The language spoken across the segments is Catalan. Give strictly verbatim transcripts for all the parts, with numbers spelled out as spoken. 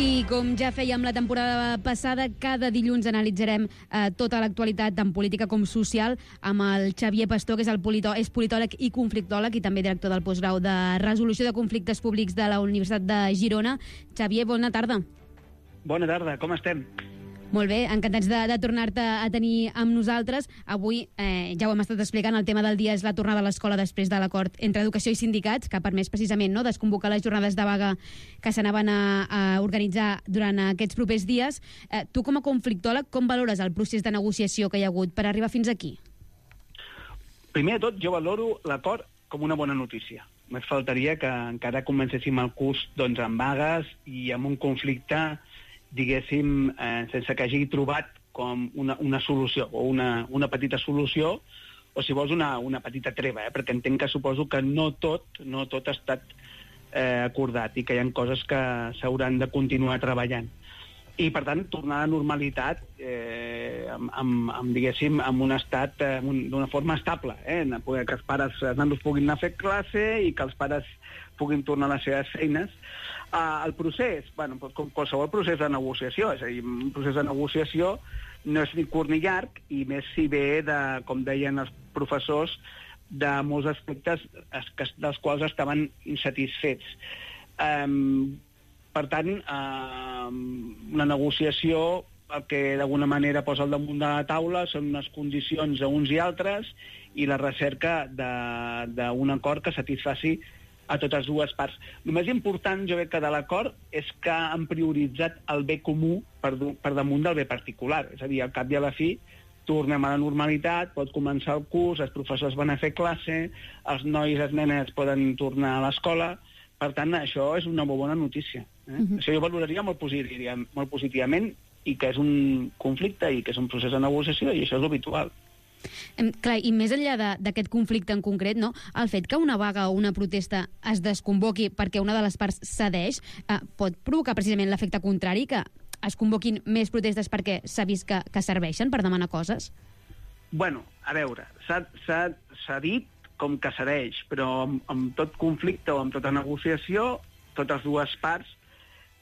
I com ja fèiem la temporada passada, cada dilluns analitzarem eh, tota l'actualitat, tant política com social, amb el Xavier Pastor, que és, el politò és politòleg i conflictòleg i també director del postgrau de Resolució de Conflictes Públics de la Universitat de Girona. Xavier, bona tarda. Bona tarda, com estem? Molt bé, encantats de, de tornar-te a tenir amb nosaltres. Avui, eh, ja ho hem estat explicant, el tema del dia és la tornada a l'escola després de l'acord entre educació i sindicats, que ha permès precisament no, desconvocar les jornades de vaga que s'anaven a, a organitzar durant aquests propers dies. Eh, tu, com a conflictòleg, com valores el procés de negociació que hi ha hagut per arribar fins aquí? Primer de tot, jo valoro l'acord com una bona notícia. Més faltaria que encara comencéssim el curs doncs, amb vagues i amb un conflicte, diguéssim, eh, sense que hagi trobat com una, una solució, o una, una petita solució, o si vols una, una petita treva, eh? Perquè entenc que suposo que no tot, no tot ha estat eh, acordat i que hi ha coses que s'hauran de continuar treballant. I, per tant, tornar a la normalitat eh, amb, amb, amb, diguéssim, amb un estat eh, d'una forma estable, eh? Que els pares, els nanos puguin anar a fer classe i que els pares puguin tornar a les seves feines. Uh, el procés, bueno, com qualsevol procés de negociació, és a dir, un procés de negociació no és ni curt ni llarg, i més si ve de, com deien els professors, de molts aspectes dels quals estaven insatisfets. Um, per tant, um, una negociació el que d'alguna manera posa al damunt de la taula són unes condicions a uns i altres i la recerca d'un acord que satisfaci a totes dues parts. El més important, jo crec que de l'acord, és que han prioritzat el bé comú per, per damunt del bé particular. És a dir, al cap i a la fi, tornem a la normalitat, pot començar el curs, els professors van a fer classe, els nois i les nenes poden tornar a l'escola. Per tant, això és una molt bona notícia. Eh? Uh-huh. Això jo valoraria molt, positiva, molt positivament, i que és un conflicte i que és un procés de negociació, i això és l'habitual. Eh, clar, i més enllà d'aquest conflicte en concret, no, el fet que una vaga o una protesta es desconvoqui perquè una de les parts cedeix eh, pot provocar precisament l'efecte contrari, que es convoquin més protestes perquè s'ha vist que, que serveixen per demanar coses? Bueno, a veure, s'ha dit com que serveix, però amb, amb tot conflicte o amb tota negociació, totes dues parts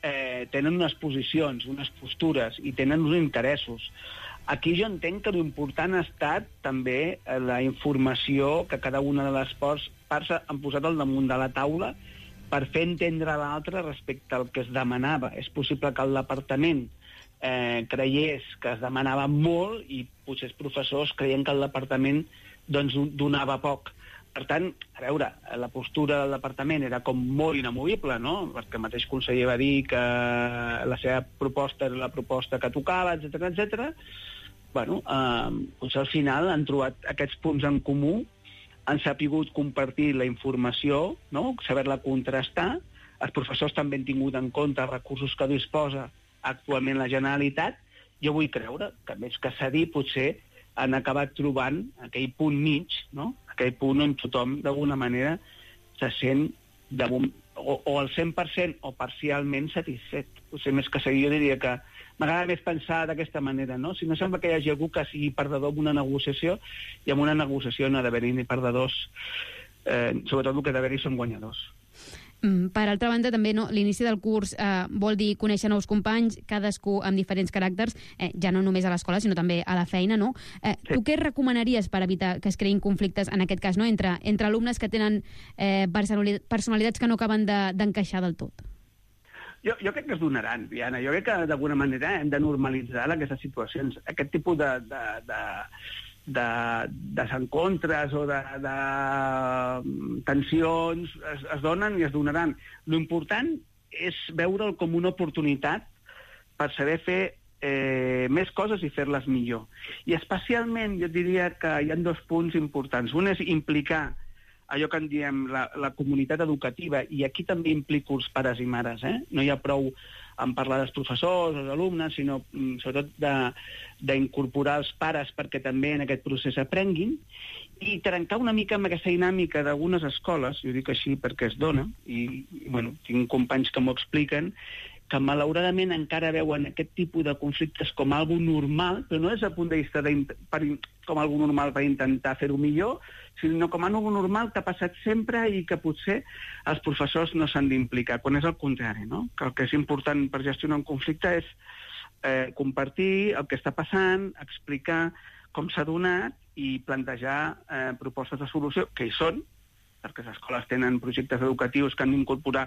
eh, tenen unes posicions, unes postures i tenen uns interessos. Aquí jo entenc que l'important ha estat també la informació que cada una de les parts han posat al damunt de la taula per fer entendre l'altre respecte al que es demanava. És possible que el departament eh, creiés que es demanava molt i potser els professors creien que el departament doncs, donava poc. Per tant, a veure, la postura del departament era com molt inamovible, no? Perquè el mateix conseller va dir que la seva proposta era la proposta que tocava, etcètera, etcètera. Bueno, eh, doncs al final han trobat aquests punts en comú, han sapigut compartir la informació, no? Saber-la contrastar. Els professors també han tingut en compte els recursos que disposa actualment la Generalitat. Jo vull creure que més que cedir potser han acabat trobant aquell punt mig, no? Aquell punt on tothom d'alguna manera se sent de, o, o al cent per cent o parcialment satisfet. Potser més que seguir jo diria que m'agrada més pensar d'aquesta manera, no? Si no sembla que hi hagi algú que sigui perdedor en una negociació, i en una negociació no ha d'haver-hi ni perdedors, eh, sobretot el que ha d'haver-hi són guanyadors. Mm, per altra banda, també no, l'inici del curs eh, vol dir conèixer nous companys, cadascú amb diferents caràcters, eh, ja no només a l'escola, sinó també a la feina, no? Eh, sí. Tu què recomanaries per evitar que es creïn conflictes, en aquest cas, no? entre, entre alumnes que tenen eh, personalitats que no acaben d'encaixar de, del tot? Jo, jo crec que es donaran, Diana. Jo crec que d'alguna manera hem de normalitzar aquestes situacions. Aquest tipus de, de, de, de desencontres o de, de tensions es, es donen i es donaran. L'important és veure'l com una oportunitat per saber fer eh, més coses i fer-les millor. I especialment jo diria que hi ha dos punts importants. Un és implicar allò que en diem la, la comunitat educativa, i aquí també implico els pares i mares, eh? No hi ha prou en parlar dels professors, els alumnes, sinó mm, sobretot d'incorporar els pares perquè també en aquest procés aprenguin, i trencar una mica amb aquesta dinàmica d'algunes escoles, jo dic així perquè es dona, i, i bueno, tinc companys que m'ho expliquen, que malauradament encara veuen aquest tipus de conflictes com algo normal, però no des del punt de vista de, per, com algo normal per intentar fer-ho millor, sinó com algo normal que ha passat sempre i que potser els professors no s'han d'implicar, quan és el contrari, no? Que el que és important per gestionar un conflicte és eh, compartir el que està passant, explicar com s'ha donat i plantejar eh, propostes de solució, que hi són, perquè les escoles tenen projectes educatius que han d'incorporar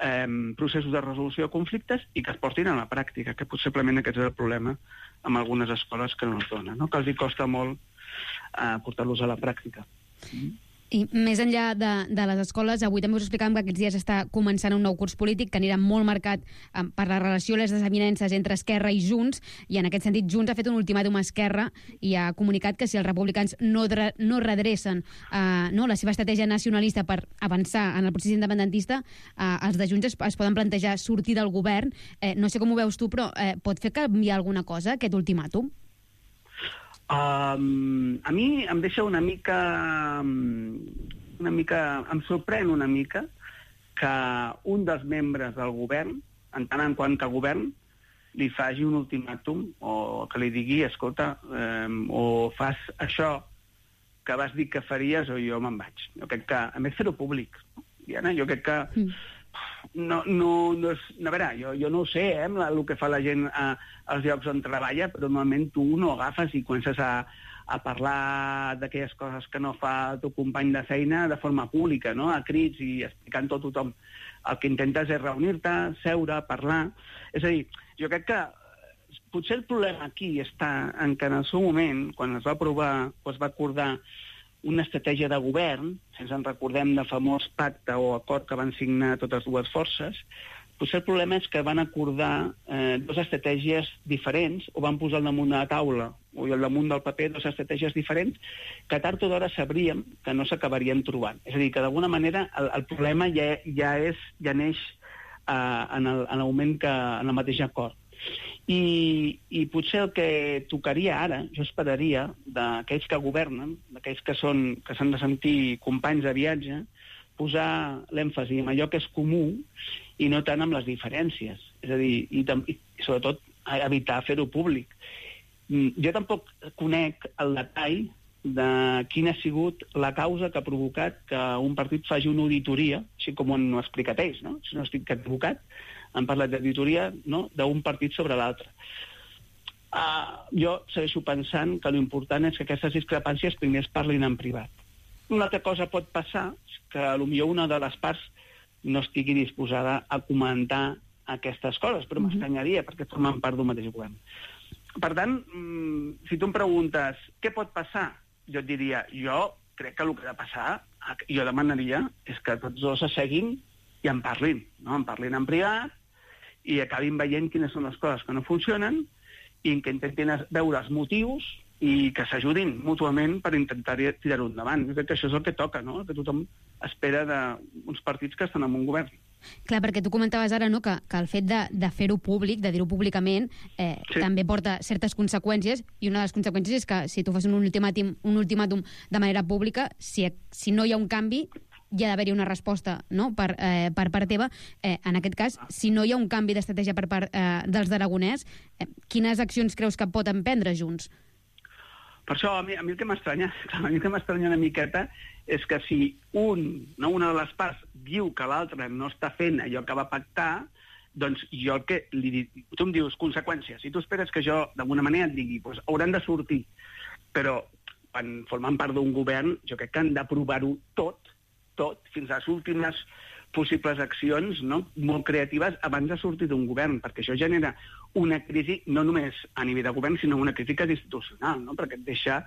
eh, processos de resolució de conflictes i que es portin a la pràctica, que possiblement aquest és el problema amb algunes escoles que no es donen, no? Que els hi costa molt eh, portar-los a la pràctica. Mm. I més enllà de, de les escoles, avui també us explicàvem que aquests dies està començant un nou curs polític que anirà molt marcat eh, per la relació i les desavinences entre Esquerra i Junts, i en aquest sentit Junts ha fet un ultimàtum a Esquerra i ha comunicat que si els republicans no, dre, no redrecen eh, no, la seva estratègia nacionalista per avançar en el procés independentista, eh, els de Junts es, es poden plantejar sortir del govern. Eh, no sé com ho veus tu, però eh, pot fer canviar alguna cosa aquest ultimàtum? Um, a mi em deixa una mica, una mica... Em sorprèn una mica que un dels membres del govern, en tant en quant que govern, li faci un ultimàtum o que li digui, escolta, um, o fas això que vas dir que faries o jo me'n vaig. Jo crec que, a més, fer-ho públic. No? Diana, jo crec que... Mm. No, no, no, és, no, a veure, jo, jo no ho sé, eh, el que fa la gent a, als llocs on treballa, però normalment tu no agafes i comences a, a parlar d'aquelles coses que no fa el teu company de feina de forma pública, no?, a crits i explicant tot a tothom. El que intentes és reunir-te, seure, parlar... És a dir, jo crec que potser el problema aquí està en que en el seu moment, quan es va aprovar o es va acordar una estratègia de govern, si ens en recordem del famós pacte o acord que van signar totes dues forces, potser el problema és que van acordar eh, dues estratègies diferents o van posar al damunt de la taula o al damunt del paper dues estratègies diferents que tard o d'hora sabríem que no s'acabarien trobant. És a dir, que d'alguna manera el, el problema ja, ja, és, ja neix eh, en, el, en el moment que, en el mateix acord. I, i potser el que tocaria ara, jo esperaria, d'aquells que governen, d'aquells que són que s'han de sentir companys de viatge, posar l'èmfasi en allò que és comú i no tant amb les diferències. És a dir, i, i sobretot evitar fer-ho públic. Jo tampoc conec el detall de quina ha sigut la causa que ha provocat que un partit faci una auditoria, així com ho han explicat ells, no? Si no estic equivocat, han parlat d'auditoria, no?, d'un partit sobre l'altre. Uh, jo segueixo pensant que l'important és que aquestes discrepàncies primer es parlin en privat. Una altra cosa pot passar que potser una de les parts no estigui disposada a comentar aquestes coses, però mm-hmm. m'estranyaria perquè formen part d'un mateix govern. Per tant, si tu em preguntes què pot passar, jo et diria, jo crec que el que ha de passar, jo demanaria, és que tots dos s'asseguin i en parlin, no? En parlin en privat i acabin veient quines són les coses que no funcionen i que intentin veure els motius i que s'ajudin mútuament per intentar tirar-ho endavant. Jo crec que això és el que toca, no?, el que tothom espera d'uns partits que estan en un govern. Clar, perquè tu comentaves ara, no?, que, que el fet de, de fer-ho públic, de dir-ho públicament, eh, sí. també porta certes conseqüències, i una de les conseqüències és que si tu fas un ultimàtum, un ultimàtum de manera pública, si, si no hi ha un canvi, hi ha d'haver-hi una resposta, no?, per, eh, per part teva. Eh, en aquest cas, si no hi ha un canvi d'estratègia per part eh, dels d'Aragonès, eh, quines accions creus que pot emprendre Junts? Per això, a mi, a mi el que m'estranya, a mi el que m'estranya una miqueta és que si un, no, una de les parts diu que l'altre no està fent allò que va pactar, doncs jo el que li dic... Tu em dius conseqüències, i tu esperes que jo d'alguna manera et digui doncs hauran de sortir, però quan formen part d'un govern jo crec que han d'aprovar-ho tot, tot, fins a les últimes possibles accions, no?, molt creatives abans de sortir d'un govern, perquè això genera una crisi no només a nivell de govern, sinó una crítica institucional, no?, perquè et deixa,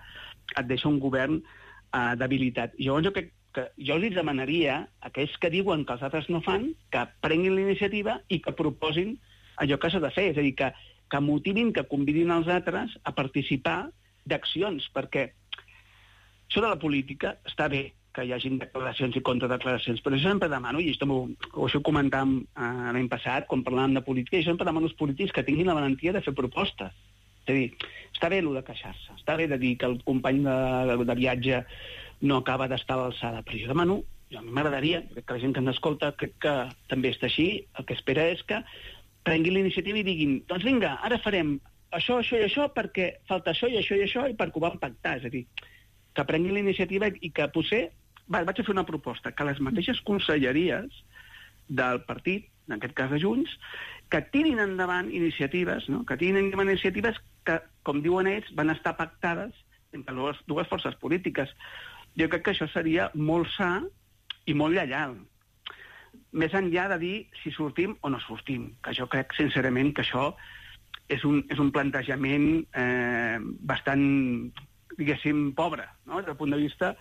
et deixa un govern eh, debilitat. Llavors jo crec que jo els demanaria a aquells que diuen que els altres no fan, que prenguin la iniciativa i que proposin allò que s'ha de fer, és a dir, que, que motivin, que convidin els altres a participar d'accions, perquè això de la política està bé, que hi hagin declaracions i contradeclaracions, però jo sempre demano, i això ho això ho comentàvem eh, l'any passat, quan parlàvem de política, i sempre demano als polítics que tinguin la valentia de fer propostes. És a dir, està bé allò de queixar-se, està bé de dir que el company de, de, de viatge no acaba d'estar a l'alçada, però jo demano, jo a mi m'agradaria, crec que la gent que ens escolta crec que també està així, el que espera és que prenguin la iniciativa i diguin, doncs vinga, ara farem això, això i això, perquè falta això i això i això, i perquè ho vam pactar. És a dir, que prenguin la iniciativa i que potser... Va, vaig a fer una proposta, que les mateixes conselleries del partit, en aquest cas de Junts, que tirin endavant iniciatives, no? que tirin endavant iniciatives que, com diuen ells, van estar pactades entre dues, dues forces polítiques. Jo crec que això seria molt sa i molt lleial. Més enllà de dir si sortim o no sortim, que jo crec, sincerament, que això és un, és un plantejament eh, bastant, diguéssim, pobre, no? Des del punt de vista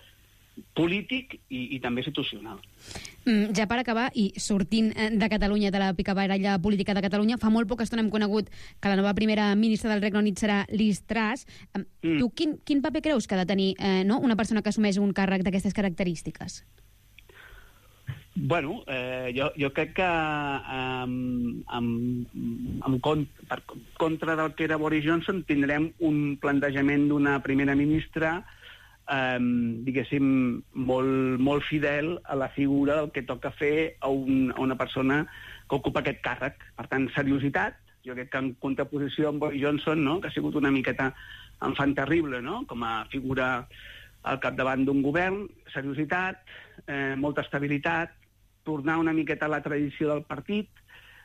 polític i, i també institucional. Mm, ja per acabar, i sortint de Catalunya, de la picabaralla política de Catalunya, fa molt poca estona hem conegut que la nova primera ministra del Regne Unit serà Liz Truss. Mm. Tu quin, quin paper creus que ha de tenir eh, no? una persona que assumeix un càrrec d'aquestes característiques? Bueno, eh, jo, jo crec que eh, en, en cont, per contra del que era Boris Johnson tindrem un plantejament d'una primera ministra eh, diguéssim molt, molt fidel a la figura del que toca fer a, un, a una persona que ocupa aquest càrrec. Per tant, seriositat, jo crec que en contraposició amb Boris Johnson, no? que ha sigut una miqueta enfant terrible, no? com a figura al capdavant d'un govern, seriositat, eh, molta estabilitat, tornar una miqueta a la tradició del partit,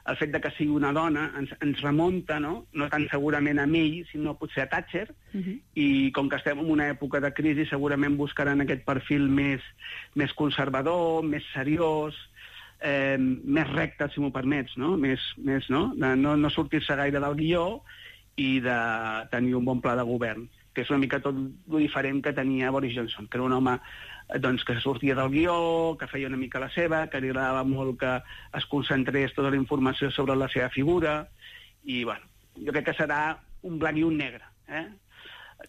el fet de que sigui una dona ens, ens remunta, no? no tant segurament a ell, sinó potser a Thatcher, uh-huh. i com que estem en una època de crisi, segurament buscaran aquest perfil més, més conservador, més seriós, eh, més recte, si m'ho permets, no? Més, més, no? De no, no sortir-se gaire del guió i de tenir un bon pla de govern, que és una mica tot el diferent que tenia Boris Johnson, que era un home doncs, que sortia del guió, que feia una mica la seva, que li agradava molt que es concentrés tota la informació sobre la seva figura, i, bueno, jo crec que serà un blanc i un negre, eh?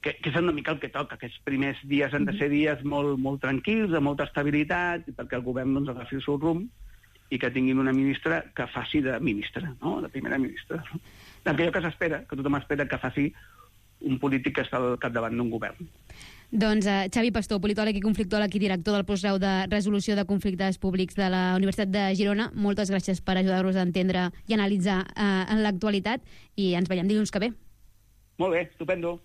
que, que és una mica el que toca. Aquests primers dies han de ser dies molt, molt tranquils, de molta estabilitat, perquè el govern doncs, agafi el seu rumb i que tinguin una ministra que faci de ministra, no? de primera ministra. Aquello que s'espera, que tothom espera que faci un polític que està al capdavant d'un govern. Doncs uh, Xavi Pastor, politòleg i conflictòleg i director del postgrau de resolució de conflictes públics de la Universitat de Girona, moltes gràcies per ajudar-nos a entendre i analitzar uh, en l'actualitat, i ens veiem dilluns que ve. Molt bé, estupendo.